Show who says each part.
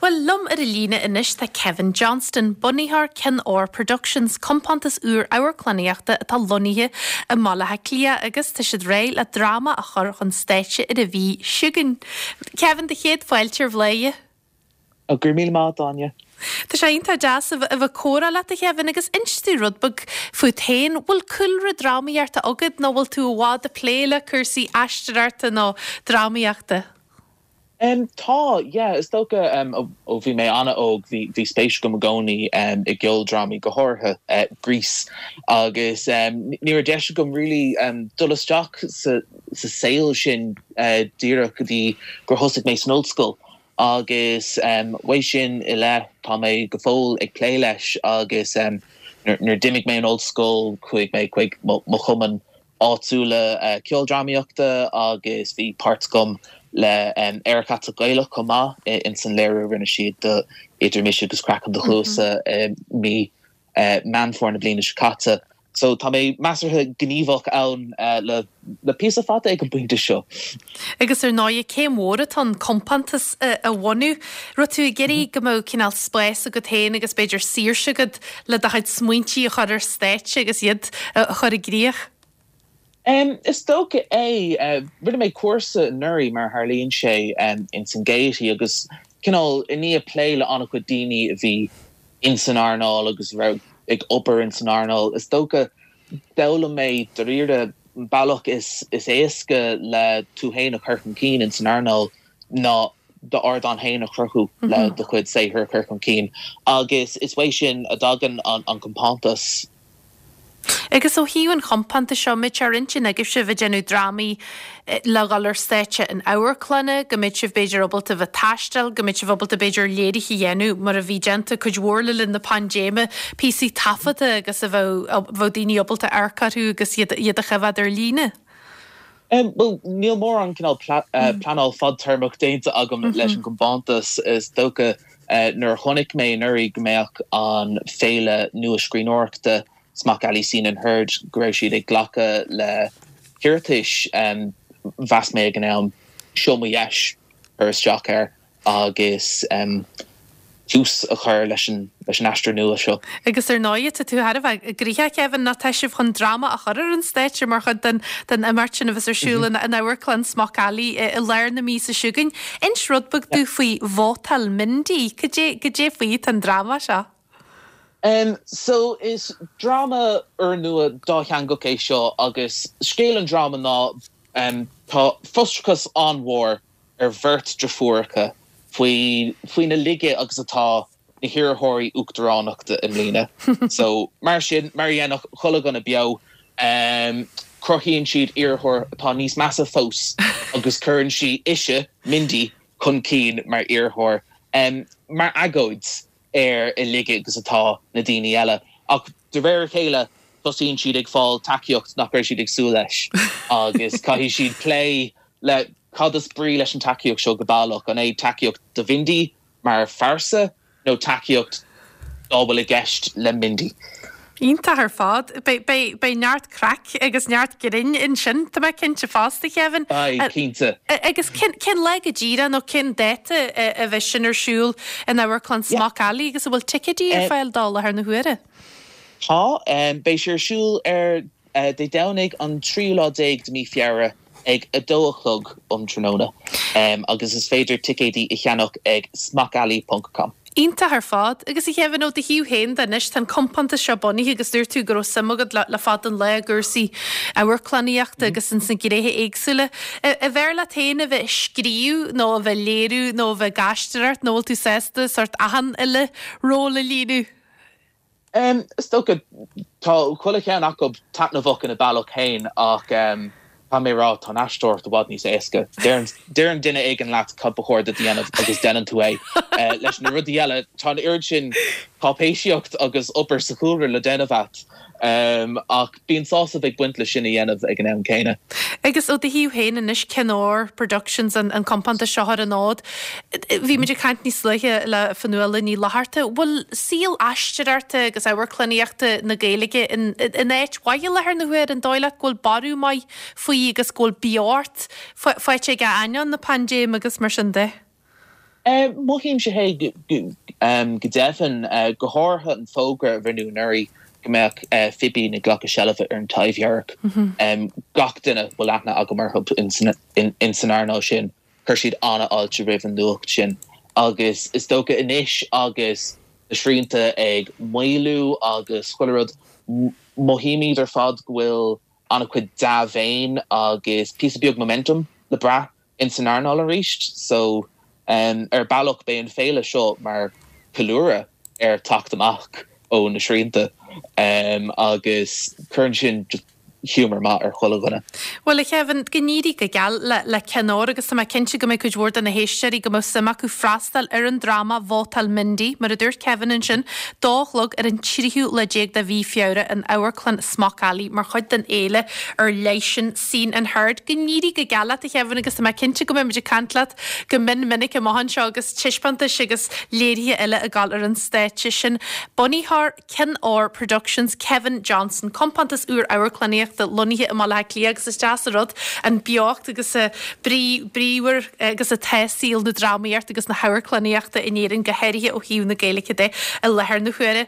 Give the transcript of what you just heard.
Speaker 1: Bhuel, liom ar an líne anois tá Kevin Johnston, bunaitheoir Cionn Óir Productions, compántas úr amharclannaíochta atá lonnaithe i mBaile Átha Cliath agus tá siad réidh le dráma a chur chun stáitse ar an mhí seo chugainn. Kevin, do chéad fáilte ar Bhladhaire.
Speaker 2: Go raibh míle maith agat, Áine.
Speaker 1: Tá sé iontach deas a bheith ag comhrá leat, a Kevin, agus inis domh rud beag fút féin. Bhfuil cúlra drámaíochta agat nó bhfuil tú i bhfad ag plé le cúrsaí aisteoireachta nó drámaíochta?
Speaker 2: Tá, yeah. Is dócha ó bhí mé an-óg bhí bhí spéis agam i gcónaí i gceoldrámaí, go háirithe Grease, agus ní raibh deis agam really dul isteach sa sa saol sin díreach go dtí gur thosaigh mé san ollscoil agus uaidh sin i leith tá mé go fóill ag plé leis agus nuair a d'imigh mé ón ollscoil chuaigh mé chuig mo chumann áitiúla ceoldrámaíochta agus bhí páirt agam le Aerach Aiteach Gaelach chomh maith ins an léiriú a rinne siad do Idir Mise agus Craiceann do Chluasa i mí Meán Fómhair na bliana seo caite. So tá mé measartha gníomhach ann le le píosa fada ag an bpointe seo.
Speaker 1: Agus ar ndóigh céim mhór atá ann compántas a bhunú. Raibh tú ag iarraidh go mbeadh cineál spás agat féin agus b'fhéidir saoirse agat le do chuid smaointí a chur ar stáitse agus iad a chur i gcrích?
Speaker 2: Is dócha é. Rinne mé cúrsa anuraidh, mar a tharlaíonn sé, ins an Gaiety agus cineál i ndiaidh plé le an-chuid daoine a bhí ins an earnáil agus a raibh ag obair ins an earnáil, is dócha d'fhoghlaim mé dáiríre an bealach is éasca le tú féin a chur chun cinn ins an earnáil ná d'ardán féin a chruthú le do chuid saothair a chur chun cinn agus is uaidh sin a dtagann an compántas.
Speaker 1: Agus ó thaobh an chompántais seo, mbeidh sé ar intinn agaibhse bheith ag déanamh drámaí le dhul ar stáitse in amharclanna, go mbeidh sibh b'fhéidir ábalta bheith ag taisteal, go mbeidh sibh ábalta b'fhéidir léirithe a dhéanamh mar a bhí déanta cuid mhór le linn na paindéime, píosaí taifeadta agus a bheadh daoine ábalta amharc orthu agus iad a choimhéad ar líne?
Speaker 2: Bhuel, níl mórán cineál pleanáil fadtéarmach déanta agam leis an gcompántas. Is dócha nuair a chonaic mé anuraidh go mbeadh an féile nua scríbhneoireachta Smock Alley Scene and Heard, go raibh siad ag glacadh le hiarratais, mheas mé ag an am, seo mo dheis cur isteach air. agus tús a chur leis an aistear nua seo.
Speaker 1: Agus ar ndóigh, tá tú thar a bheith gnoitheach, Kevin, nó tá sibh chun dráma a chur ar an stáitse mar chuid den imeacht sin a bheas ar siúl in Amharclann Smock Alley i lár na míosa seo chugainn. Inis rud beag domh faoi Vótáil Mindy. Cad é faoi atá an dráma seo?
Speaker 2: So, is dráma úrnua dátheangach é seo agus scéal an dráma ná tá frustrachas an-mhór ar bheirt deirfiúracha faoi faoina laige agus atá na hiarrthóirí uachtaránachta i mbliana. So, mar sin, mar a dhéanfadh chuile dhuine beo, cruthaíonn siad iarrthóir atá níos measa fós agus cuireann sí ise, Mindy, chun cinn mar iarrthóir, mar agóid ar a laige agus atá na daoine eile. Ach de réir a chéile, tosaíonn siad ag fáil tacaíocht nach raibh siad ag súil leis agus caithfidh siad plé le cad is brí leis an tacaíocht seo go baileach? An é tacaíocht do Mhindy mar phearsa nó tacaíocht dá bhfuil i gceist le Mindy?
Speaker 1: Iontach ar fad. Beidh neart craic agus neart grinn ansin, tá mé cinnte fosta, Kevin.
Speaker 2: Beidh, cinnte.
Speaker 1: Agus cén lá go díreach nó cén dáta a bheas sin ar siúl in Amharclann Smock Alley agus an bhfuil ticéidí ar fáil dó i láthair na huaire?
Speaker 2: Tá. Beidh sé ar siúl ar Dé Domhnaigh an tríú lá déag de mí Feabhra ag 2 a chlog um tráthnóna agus is féidir ticéidí a cheannach ag smockalley ponc com.
Speaker 1: Iontach ar fad. Agus a Kevin, ó do thaobh féin de anois, tá an compántas seo bunaithe agus dúirt tú go raibh suim agat le fada an lá i gcúrsaí amharclannaíochta agus ins na gnéithe éagsúla. An bhfearr leat féin a bheith ag scríobh nó a bheith ag léiriú nó a bheith ag aisteoireacht nó bhfuil tú sásta sórt achan uile ról a líonadh?
Speaker 2: Is dócha, tá chuile cheann acu taitneamhach ina bealach féin ach caithfidh mé a rá, tá an aisteoireacht i bhfad níos éasca. Deireann duine éigin leat cad ba chóir duit a dhéanamh agus déanann tú é. Leis na rudaí eile, tá an oiread sin cáipéisíocht agus obair sa chúlra le déanamh agat. Ach bíonn sásamh ag baint leis sin a dhéanamh ag an am céanna.
Speaker 1: Agus ó do thaobh féin anois, Cionn Óir Productions, an compántas seo ar an fhód. Bhí muid ag caint níos luaithe le Fionnuala Ní Fhlatharta. Bhfuil saol aisteoireachta agus amharclannaíochta na Gaeilge in áit mhaith i láthair na huaire? An dóigh leat go bhfuil borradh maith faoi agus go bhfuil beocht faighte aige ainneoin na paindéime agus mar sin de?
Speaker 2: Mothaímse é go deimhin, go háirithe an fógra a rinneadh anuraidh go mbeadh Fibín ag glacadh seilbhe ar an Taibhdhearc. Gach duine a bhfuil aithne agam orthu ins an earnáil sin, chuir siad an-fháilte roimh an nuacht sin. Agus is dócha anois agus na srianta ag maolú agus chuile rud, mothaímid ar fad go bhfuil an-chuid dea-mhéin agus píosa beag momentum le brath ins an earnáil arís. So, ar bealach, beidh an féile seo mar ceiliúradh ar teacht amach ó na srianta agus cuireann sin just giúmar maith ar chuile dhuine.
Speaker 1: Bhuel, a Kevin, go n-éirí go geal le le Cionn Óir agus tá mé cinnte go mbeidh cuid mhór de na héisteoirí go mbeadh suim acu freastal ar an dráma Vótáil Mindy, mar a dúirt Kevin ansin, dó a chlog ar an tríú lá déag de mhí Feabhra in Amharclann Smock Alley mar chuid den fhéile ar leith sin Seen and Heard. Go n-éirí go geal leat, a Kevin, agus tá mé cinnte go mbeidh muid ag caint leat go mion minic amach anseo agus taispeántais agus léirithe eile ag dul ar an stáitse. Sin bunaitheoir Cionn Óir Productions, Kevin Johnson, compántas úr amharclannaíochta lonnaithe i mBaile Átha Cliath agus is deas an rud an beocht agus an brí bríomhar agus atá saol na drámaíochta agus na hamharclannaíochta in Éirinn, go háirithe ó thaobh na Gaeilge de, i láthair na huaire.